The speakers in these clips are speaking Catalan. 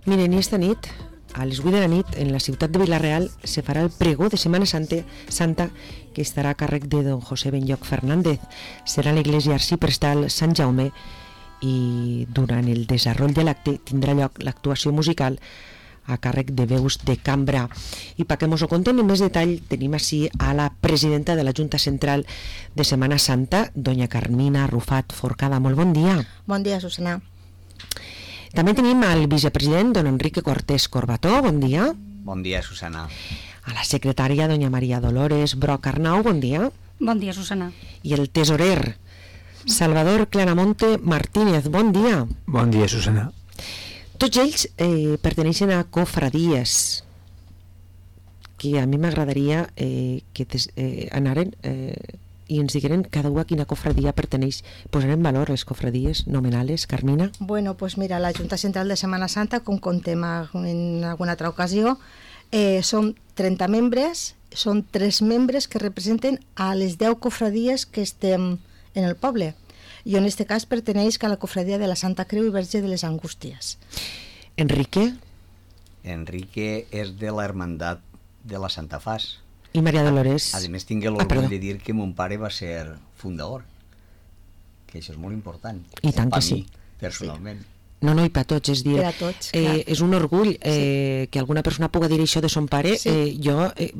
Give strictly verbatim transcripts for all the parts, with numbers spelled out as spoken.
Miren, i esta nit, a les vuit de la nit, en la ciutat de Vila-real, se farà el pregó de Setmana Santa, Santa que estarà a càrrec de don José Benlloch Fernández. Serà a l'església arxiprestal Sant Jaume i durant el desenvolupament de l'acte tindrà lloc l'actuació musical a càrrec de veus de cambra. I perquè mos ho contem en més detall, tenim així a la presidenta de la Junta Central de Setmana Santa, doña Carmina Rufat Forcada. Molt bon dia. Bon dia, Susana. També tenim al vicepresident, don Enrique Cortés Corbató. Bon dia. Bon dia, Susana. A la secretària, doña Maria Dolores Broc Arnau. Bon dia. Bon dia, Susana. I el tesorer, Salvador Claramonte Martínez. Bon dia. Bon dia, Susana. Tots ells eh, perteneixen a cofradies, que a mi m'agradaria eh, que des, eh, anaren eh, i ens digueren cada una a quina cofradia perteneix. Posarem en valor les cofradies nomenales, Carmina? Bueno, pues mira, la Junta Central de Setmana Santa, com contem en alguna altra ocasió, eh, són trenta membres, són tres membres que representen a les deu cofradies que estem en el poble. Jo en este cas perteneix a la cofradia de la Santa Creu i Verge de les Angústies. Enrique? Enrique és de la Hermandat de la Santa Fas. I Maria Dolores? A, a més, tinc l'orgull ah, de dir que mon pare va ser fundador, que això és molt important. I tant que per sí. mi, personalment. Sí. No, no, i per tots, és dir, per a tots, eh, és un orgull eh, sí. que alguna persona puga dir això de son pare. Sí. Eh, jo, eh,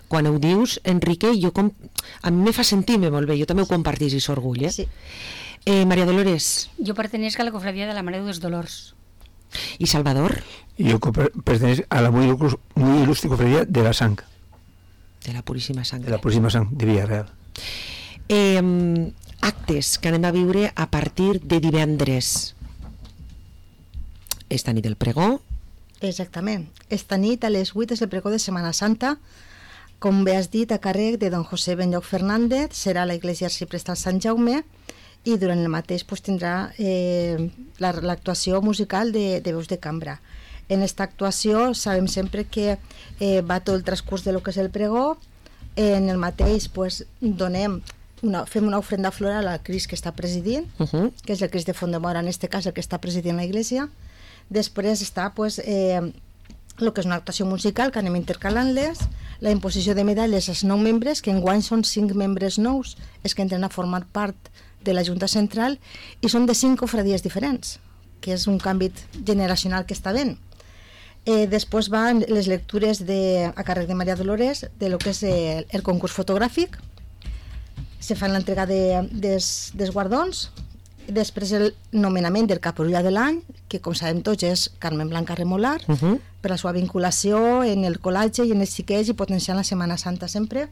quan ho dius, Enrique, jo com, a mi me fa sentir-me molt bé, jo també ho compartís, aquest orgull, eh? Sí. Eh, Maria Dolores? Jo pertenec a la cofradia de la Mare dels Dolors. I Salvador? Jo pertenec a la muy, muy ilustre cofradia de la Sang. De la Puríssima Sang. De la Puríssima Sang, de Villarreal. Eh, actes que anem a viure a partir de divendres. Esta nit el pregó. Exactament. Esta nit a les vuit és el pregó de Setmana Santa. Com bé has dit, a càrrec de don José Benlloch Fernández, serà a l'església arxiprestal Sant Jaume, i durant el mateix pues, tindrà eh, l'actuació musical de, de veus de cambra. En aquesta actuació sabem sempre que eh, va tot el transcurs de lo que és el pregó. En el mateix pues, donem una, fem una ofrenda floral al Crist que està presidint, uh -huh. que és el Crist de Font-de-Mora, en aquest cas el que està presidint la iglesia. Després està pues, eh, el que és una actuació musical que anem intercalant-les, la imposició de medalles als nou membres, que enguany són cinc membres nous, és que entren a formar part de la Junta Central, i són de cinc cofradies diferents, que és un canvi generacional que està ben. Eh, després van les lectures de, a càrrec de Maria Dolores de lo que és el, el concurs fotogràfic, se fan l'entrega de, des, des guardons, després el nomenament del caperulla de l'any, que com sabem tots és Carmen Blanca Remolar, uh -huh. per la seva vinculació en el col·latge i en els xiquets i potenciant la Setmana Santa sempre.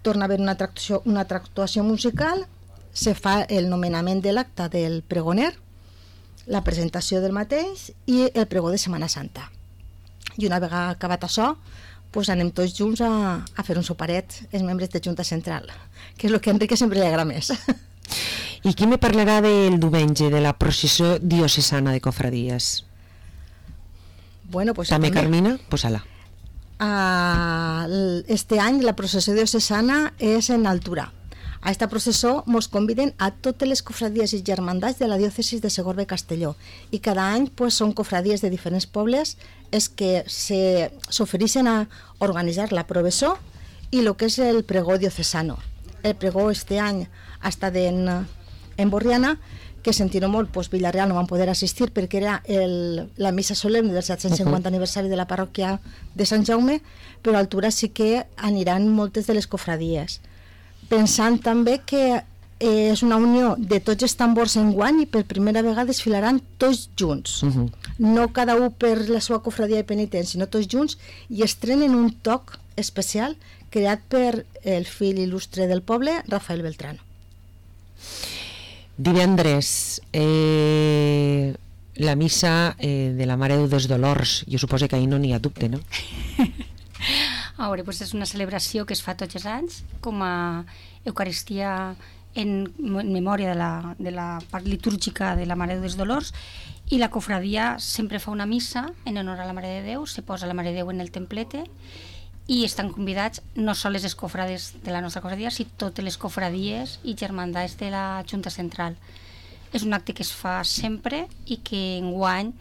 Torna a haver una actuació, una actuació musical, se fa el nomenament de l'acte del pregoner, la presentació del mateix i el pregó de Setmana Santa. I una vegada acabat això, pues anem tots junts a, a fer un soparet, els membres de Junta Central, que és el que a Enrique sempre li agrada més. I qui me parlarà del diumenge, de la processó diocesana de cofradies? Bueno, pues també, també. Carmina? Posa-la. Uh, este any la processó diocesana és en Altura. A esta processó mos conviden a totes les cofradies i germandats de la diòcesis de Segorbe i Castelló, i cada any pues, són cofradies de diferents pobles és que s'ofereixen a organitzar la processó i el que és el pregó diocesano. El pregó este any ha estat en, en Borriana, que sentint molt, pues, Villarreal no van poder assistir perquè era el, la missa solemne del set-cents cinquanta uh-huh. aniversari de la parròquia de Sant Jaume, però a Altura sí que aniran moltes de les cofradies. Pensant també que eh, és una unió de tots els tambors enguany i per primera vegada desfilaran tots junts. Uh-huh. No cada un per la seva cofradia de penitents, sinó tots junts, i estrenen un toc especial creat per el fill il·lustre del poble, Rafael Beltrano. Divendres, eh, la missa eh, de la Mare dels Dolors. Jo suposo que ahir no n'hi ha dubte, no? A veure, doncs és una celebració que es fa tots els anys com a Eucaristia en memòria de la, de la part litúrgica de la Mare dels Dolors, i la cofradia sempre fa una missa en honor a la Mare de Déu, se posa la Mare de Déu en el templete i estan convidats no sols les cofrades de la nostra cofradia, sinó totes les cofradies i germandats de la Junta Central. És un acte que es fa sempre i que enguany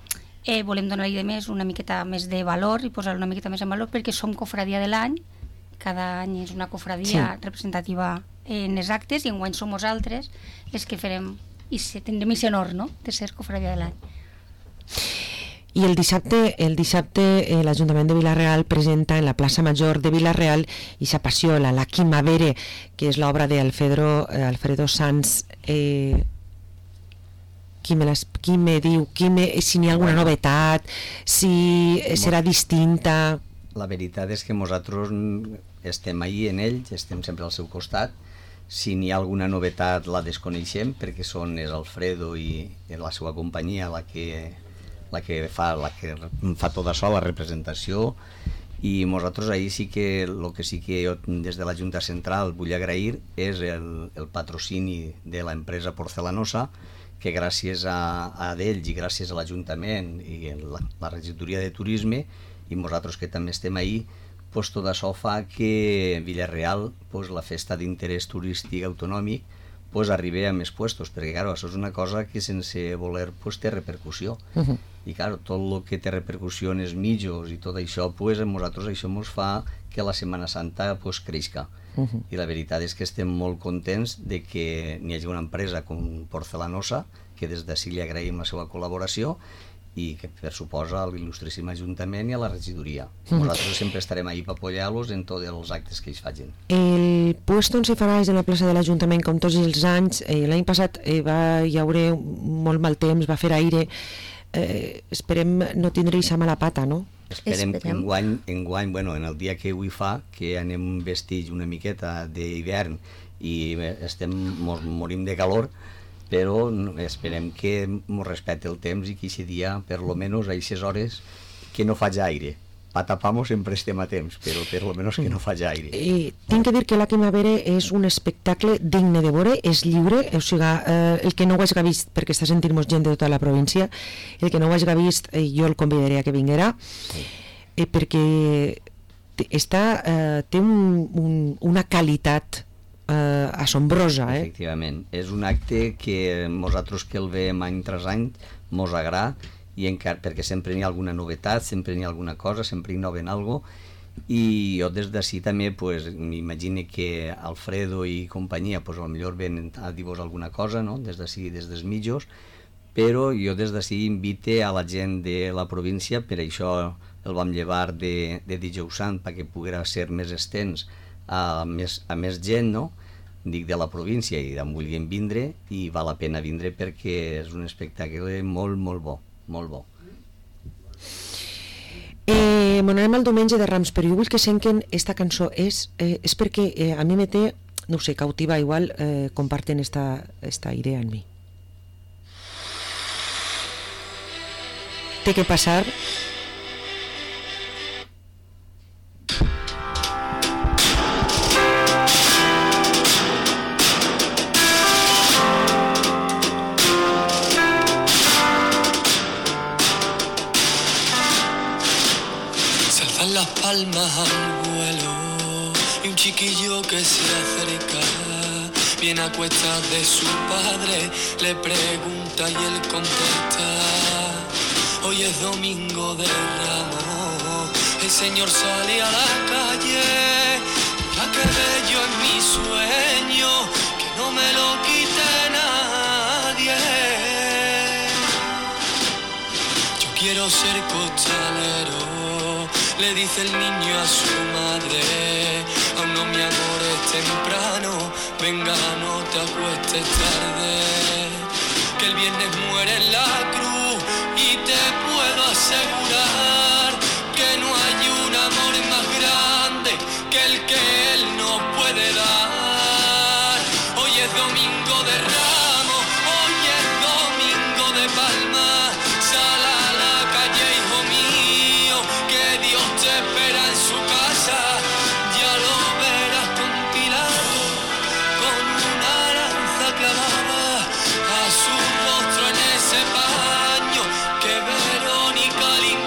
eh, volem donar-li de més una miqueta més de valor i posar una miqueta més en valor perquè som cofradia de l'any, cada any és una cofradia sí. representativa en els actes i enguany som nosaltres les que farem i tindrem aquest honor, no?, de ser cofradia de l'any. I el dissabte, el dissabte eh, l'Ajuntament de Vila-real presenta en la plaça Major de Vila-real ixa passiola, la Quimavere, que és l'obra d'Alfredo eh, Alfredo Sanz. Eh, qui, me les, qui me diu qui me, si n'hi ha alguna novetat, si serà distinta? La veritat és que nosaltres estem ahí en ell, estem sempre al seu costat. Si n'hi ha alguna novetat la desconeixem perquè són és Alfredo i, i la seva companyia la que la que fa la que fa tot això, la representació, i nosaltres ahir sí que el que sí que jo des de la Junta Central vull agrair és el, el patrocini de l'empresa Porcelanosa, que gràcies a, a d'ells i gràcies a l'Ajuntament i la, la regidoria de turisme i nosaltres que també estem ahir, pues tot això fa que Vila-real, pues la festa d'interès turístic autonòmic, pues arribi a més puestos, perquè claro, això és una cosa que sense voler pues té repercussió. Uh-huh. I claro, tot el que té repercussió en els mitjos i tot això, pues a nosaltres això ens fa que la Setmana Santa pues creixca. Uh-huh. I la veritat és que estem molt contents de que n'hi hagi una empresa com Porcelanosa, que des d'ací li agraïm la seva col·laboració, i que per suposa a l'il·lustríssim Ajuntament i a la regidoria. Mm. Nosaltres sempre estarem ahí per apoyar-los en tots els actes que ells facin. El puesto on se farà és en la plaça de l'Ajuntament com tots els anys. Eh, l'any passat eh, va hi haurà molt mal temps, va fer aire. Eh, esperem no tindre aquesta mala pata, no? Esperem, esperem. que enguany, enguany, bueno, en el dia que avui fa, que anem vestits una miqueta d'hivern i estem, mos morim de calor, però esperem que ens respecte el temps i que aquest dia, per lo menos a aquestes hores, que no faci aire. Pa tapar-nos sempre estem a temps, però per lo menos que no faci aire. I tinc que dir que la Quimavere és un espectacle digne de veure, és lliure, o sigui, eh, el que no ho hagi vist, perquè està sentint-nos gent de tota la província, el que no ho hagi vist, eh, jo el convidaré a que vinguera, sí. eh, perquè està, eh, té un, un, una qualitat Uh, assombrosa, eh? Efectivament, és un acte que nosaltres que el veiem any tras any mos agrada, i encara, perquè sempre n'hi ha alguna novetat, sempre n'hi ha alguna cosa, sempre innoven algo, i jo des d'ací també pues, m'imagino que Alfredo i companyia pues, potser venen a dir-vos alguna cosa, no? Des d'ací, des dels mitjos, però jo des d'ací invite a la gent de la província, per això el vam llevar de, de dijous sant perquè poguera ser més extens a més, a més gent, no? Dic de la província i d'on vulguin vindre, i val la pena vindre perquè és un espectacle molt, molt bo, molt bo. Eh, M'anarem al diumenge de Rams, però jo vull que senten esta cançó, és, eh, és perquè eh, a mi me té, no sé, cautiva, igual eh, comparten esta, esta idea en mi. Té que passar. Las palmas al vuelo y un chiquillo que se acerca, viene a cuestas de su padre, le pregunta y él contesta: hoy es domingo de Ramos, el Señor sale a la calle, la que bello en mi sueño, que no me lo quite nadie. Yo quiero ser costalero, le dice el niño a su madre, aún no mi amor es temprano, venga no te acuestes tarde, que el viernes muere en la cruz y te puedo asegurar que no hay un amor más grande que el que él no puede dar. Hoy es domingo de Ramos, hoy es domingo de Palma, sal a la calle hijo mío, que Dios te espera en su casa, ya lo verás con Pilato, con una lanza clavada a su rostro en ese paño que Verónica limpió.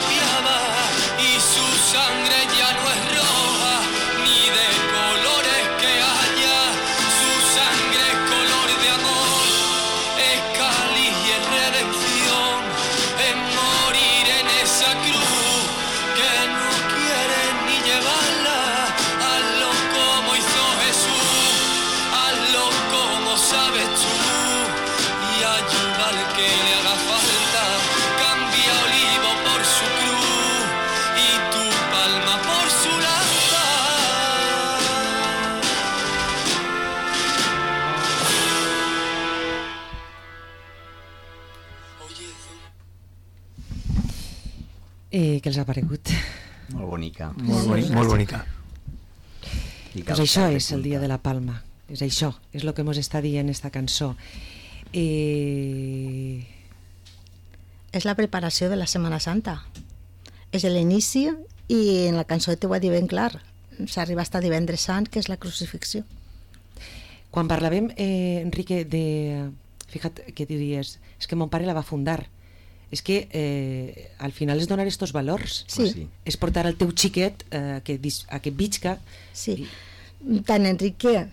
Eh, què els ha paregut? Molt bonica. Molt, boni, molt bonica. Pues això és el dia de la Palma. És això, és el que ens està dient esta cançó. Eh... És la preparació de la Setmana Santa. És l'inici i en la cançó t'ho va dir ben clar. S'arriba hasta divendres sant, que és la crucifixió. Quan parlàvem, eh, Enrique, de... Fíjate que diries, és que mon pare la va fundar. És que eh, al final és donar estos valors. Sí. sí. És portar el teu xiquet eh, que, a que visca. Sí. I... Tant Enrique,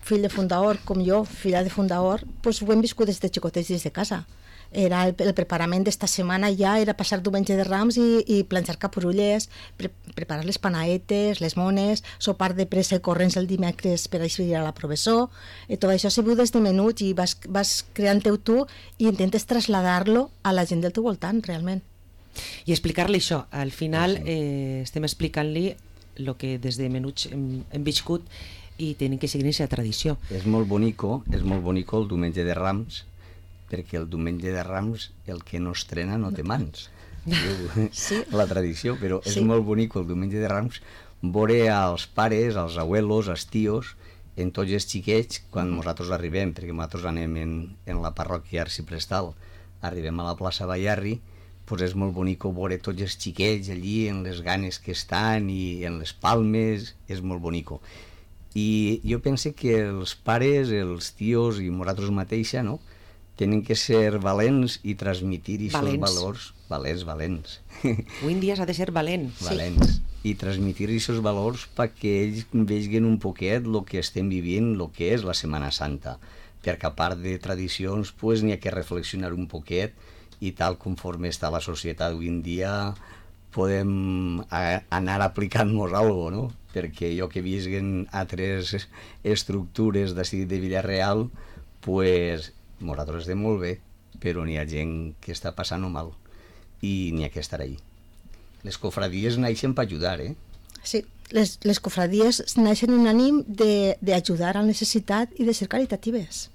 fill de fundador, com jo, filla de fundador, pues ho hem viscut des de xicotets des de casa. Era el, el preparament d'esta setmana ja era passar diumenge de Rams i, i planxar caporulles, pre, preparar les panaetes, les mones, sopar de pressa i corrents el dimecres per així ir a la professor, i tot això s'ha viu des de menut i vas, vas creant-ho tu i intentes traslladar-lo a la gent del teu voltant, realment. I explicar-li això. Al final eh, estem explicant-li el que des de menuts hem, hem viscut i tenim que seguir aquesta tradició. És molt bonico, és molt bonico el diumenge de Rams, perquè el diumenge de Rams el que no estrena no té mans. Sí. La tradició, però és sí. molt bonic el diumenge de Rams veure als pares, als abuelos, als tios, en tots els xiquets, quan nosaltres arribem, perquè nosaltres anem en, en la parròquia arciprestal, arribem a la plaça Bayarri, doncs és molt bonic veure tots els xiquets allí, en les ganes que estan i en les palmes, és molt bonico. I jo penso que els pares, els tios i nosaltres mateixa, no?, tenen que ser valents i transmitir aquests valors. Valents, valents. Avui en dia s'ha de ser valent. Valents. Sí. I transmitir aquests valors perquè ells vegin un poquet el que estem vivint, el que és la Setmana Santa. Perquè a part de tradicions, pues, n'hi ha que reflexionar un poquet i tal conforme està la societat avui en dia podem a, anar aplicant-nos alguna cosa, no? Perquè jo que visquen altres estructures d'ací de Villarreal, pues nosaltres estem molt bé, però n'hi ha gent que està passant mal i n'hi ha que estar ahí. Les cofradies naixen per ajudar, eh? Sí, les, les cofradies naixen en ànim d'ajudar al necessitat i de ser caritatives.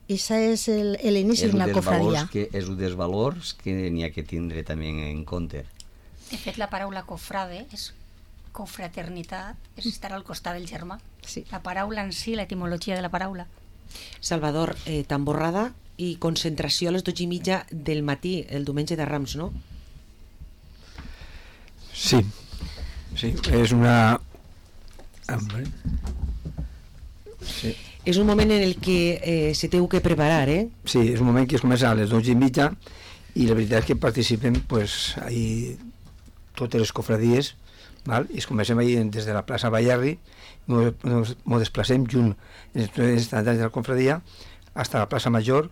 I això és l'inici d'una cofradia. Que és un dels valors que n'hi ha que tindre també en compte. De fet, la paraula cofrade és confraternitat, és estar al costat del germà. Sí. La paraula en si, l'etimologia de la paraula. Salvador, eh, tamborrada i concentració a les dotze i mitja del matí, el diumenge de Rams, no? Sí, sí, és una... Sí. És un moment en el que eh, se té que preparar, eh? Sí, és un moment que es comença a les dotze i mitja i la veritat és que participen pues, ahí, totes les cofradies, val? I es comencem ahí des de la plaça Bayarri, ens desplacem junt en els estants de la confradia fins a la plaça Major,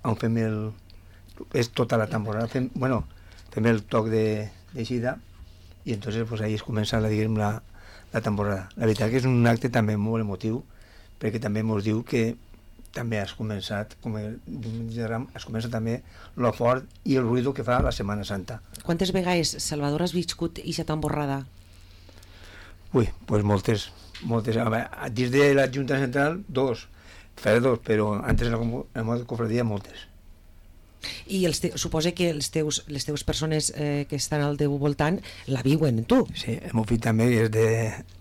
on fem el... és tota la tamborada, fem, bueno, fem el toc de, de xida i entonces pues, ahí es comença la, diguem, la, la tamborada. La veritat que és un acte també molt emotiu, perquè també ens diu que també has començat, com el Ram, has començat també lo fort i el ruïdo que fa la Setmana Santa. Quantes vegades, Salvador, has viscut aquesta tamborrada? Ui, pues moltes, moltes. A veure, dins de la Junta Central, dos, fer dos, però antes en la, en la cofradia, moltes. I els te, suposa que els teus, les teves persones eh, que estan al teu voltant la viuen, tu? Sí, el meu fill també és de,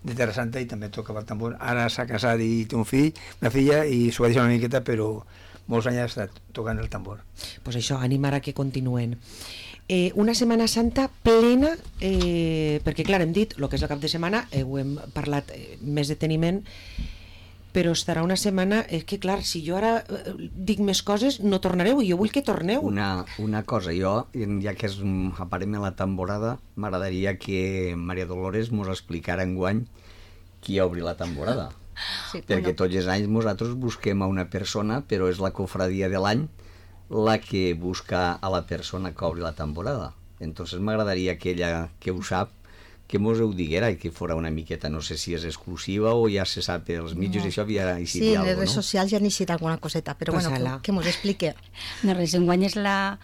de Terra Santa i també tocava el tambor. Ara s'ha casat i té un fill, una filla, i s'ho va deixar una miqueta, però molts anys ha estat tocant el tambor. Doncs pues això, animar a que continuen. Eh, una Setmana Santa plena, eh, perquè clar, hem dit el que és el cap de setmana, eh, ho hem parlat eh, més deteniment, però estarà una setmana, és que clar, si jo ara eh, dic més coses, no tornareu, i jo vull que torneu. Una, una cosa, jo, ja que és, aparem a la temporada, m'agradaria que Maria Dolores mos explicara enguany qui obri la temporada. Sí, perquè bueno, tots els anys nosaltres busquem a una persona, però és la cofradia de l'any la que busca a la persona que obri la temporada. Entonces m'agradaria que ella, que ho sap, que mos ho diguera i que fora una miqueta, no sé si és exclusiva o ja se sap els mitjos, no. Això havia eixit sí, alguna cosa, no? Sí, en les redes socials ja han eixit alguna coseta, però bueno, que, que mos explique. No res, enguany és la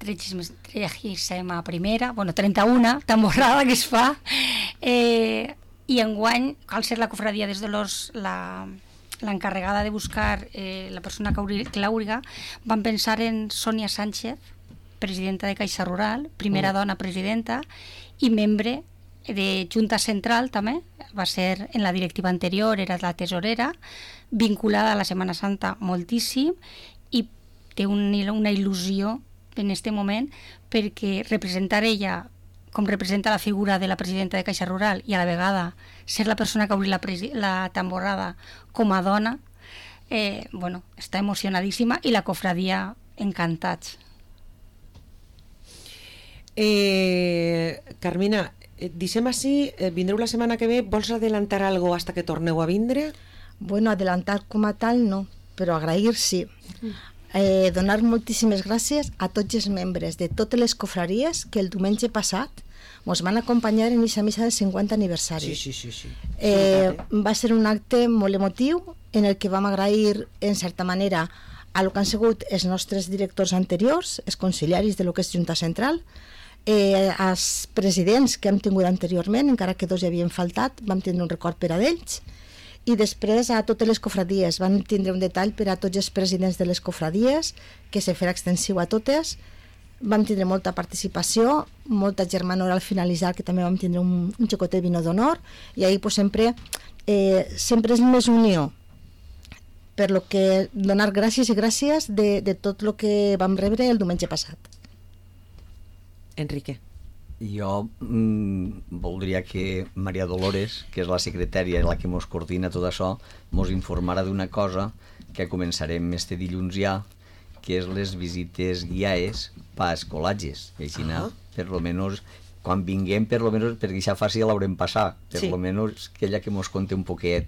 trenta-una primera, bueno, trenta-una, tamborrada que es fa, eh, i enguany, cal ser la cofradia des de los, la... l'encarregada de buscar eh, la persona que l'àuriga, van pensar en Sònia Sánchez, presidenta de Caixa Rural, primera Mm. dona presidenta, i membre de Junta Central també, va ser en la directiva anterior, era la tesorera, vinculada a la Setmana Santa moltíssim, i té un, una il·lusió en aquest moment, perquè representar ella com representa la figura de la presidenta de Caixa Rural i a la vegada ser la persona que obri la, la tamborrada com a dona, eh, bueno, està emocionadíssima, i la cofradia encantats. Eh, Carmina, eh, deixem així, eh, vindreu la setmana que ve, vols adelantar algo hasta que torneu a vindre? Bueno, adelantar com a tal no, però agrair sí. Eh, donar moltíssimes gràcies a tots els membres de totes les cofraries que el diumenge passat ens van acompanyar en aquesta missa del cinquanta aniversari. Sí, sí, sí. sí. Eh, va ser un acte molt emotiu en el que vam agrair, en certa manera, a lo que han sigut els nostres directors anteriors, els consiliaris de lo que és Junta Central, eh, als presidents que hem tingut anteriorment, encara que dos hi havien faltat, vam tindre un record per a d'ells, i després a totes les cofradies. Vam tindre un detall per a tots els presidents de les cofradies, que se farà extensiu a totes. Vam tindre molta participació, molta germanor al finalitzar, que també vam tindre un, un xocotet vino d'honor, i ahir pues, sempre, eh, sempre és més unió, per lo que donar gràcies i gràcies de, de tot el que vam rebre el diumenge passat. Enrique. Jo mm, voldria que Maria Dolores, que és la secretària i la que mos coordina tot això, mos informara d'una cosa que començarem este dilluns ja, que és les visites guiades pa escolatges. Així, uh -huh. per lo menos, quan vinguem, per lo menos, perquè ja fàcil l'haurem passat, per sí. lo menos que ella que mos conte un poquet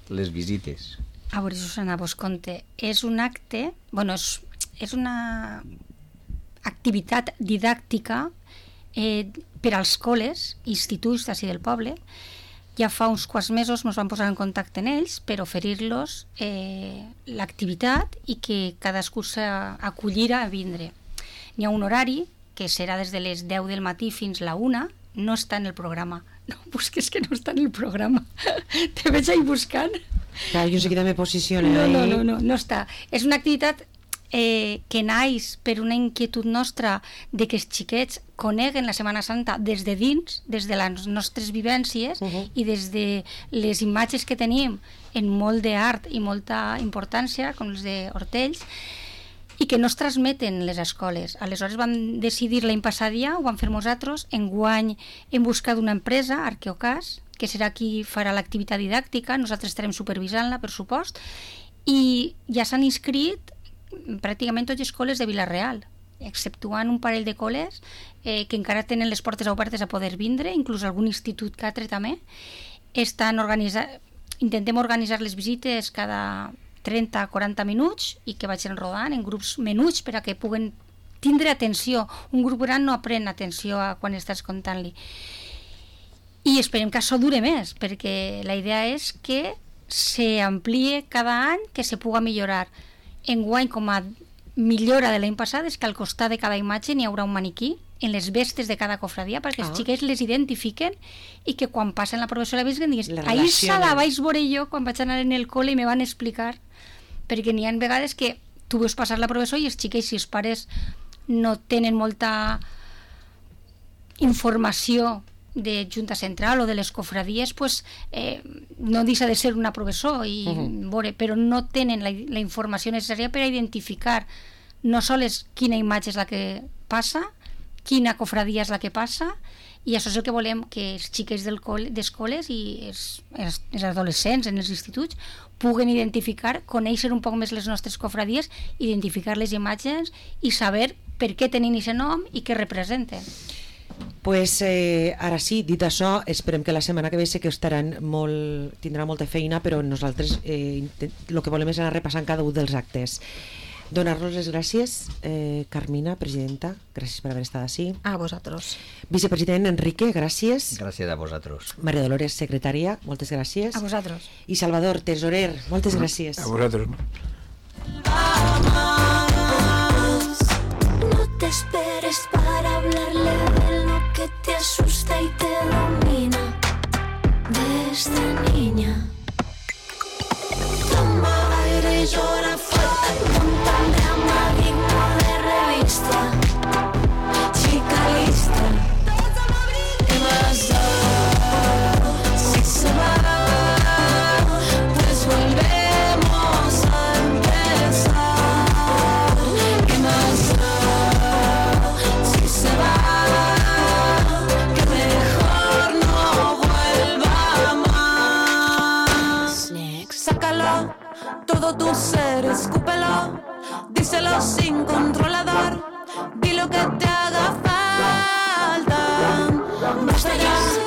les visites. A veure, Susana, vos conte. És un acte, bueno, és, és una activitat didàctica eh, per als col·les, instituts d'ací del poble. Ja fa uns quants mesos ens vam posar en contacte amb ells per oferir-los eh, l'activitat i que cadascú s'acollira a vindre. N'hi ha un horari que serà des de les deu del matí fins la una, no està en el programa. No busques que no està en el programa. Te veig ahí buscant. Clar, jo seguida me posiciono no, ahí. no, no, no, no està. És una activitat eh, que naix per una inquietud nostra de que els xiquets coneguen la Setmana Santa des de dins, des de les nostres vivències, uh -huh. i des de les imatges que tenim en molt d'art i molta importància, com els d'Hortells, i que no es transmeten les escoles. Aleshores vam decidir l'any passat ja, ho vam fer nosaltres, enguany hem buscat una empresa, Arqueocas, que serà qui farà l'activitat didàctica, nosaltres estarem supervisant-la, per supost, i ja s'han inscrit pràcticament totes les escoles de Vila-real, exceptuant un parell de col·les eh, que encara tenen les portes obertes a poder vindre, inclús algun institut catre també. Estan organitzant, intentem organitzar les visites cada trenta a quaranta minuts i que vagin rodant en grups menuts per a que puguen tindre atenció. Un grup gran no aprèn atenció a quan estàs contant-li. I esperem que això dure més, perquè la idea és que s'amplie cada any, que se puga millorar. Enguany, com a millora de l'any passat, és que al costat de cada imatge n'hi haurà un maniquí en les vestes de cada cofradia, perquè els ah. xiquets les identifiquen i que quan passen la professora visquen digues, ahir se la vaig veure jo quan vaig anar en el col·le i me van explicar, perquè n'hi ha vegades que tu veus passar la professora i els xiquets, si els pares no tenen molta informació de Junta Central o de les cofradies, pues, eh, no deixa de ser una professor, i, uh -huh. veure, però no tenen la, la informació necessària per a identificar no sols quina imatge és la que passa, quina cofradia és la que passa, i això és el que volem, que els xiquets d'escoles i els, els, els adolescents en els instituts puguen identificar, conèixer un poc més les nostres cofradies, identificar les imatges i saber per què tenen aquest nom i què representen. Pues eh, ara sí, dit això, esperem que la setmana que ve sé que estaran molt, tindrà molta feina, però nosaltres eh, el que volem és anar repassant cada un dels actes. Donar-los les gràcies, eh, Carmina, presidenta, gràcies per haver estat així. A vosaltres. Vicepresident Enrique, gràcies. Gràcies a vosaltres. Maria Dolores, secretària, moltes gràcies. A vosaltres. I Salvador, tesorer, moltes gràcies. A vosaltres. No te esperes para hablarle de lo que te asusta y te domina, de esta niña. Toma aire y llora fuerte, un drama digno de revista. controlador, di lo que te haga falta. Basta ya.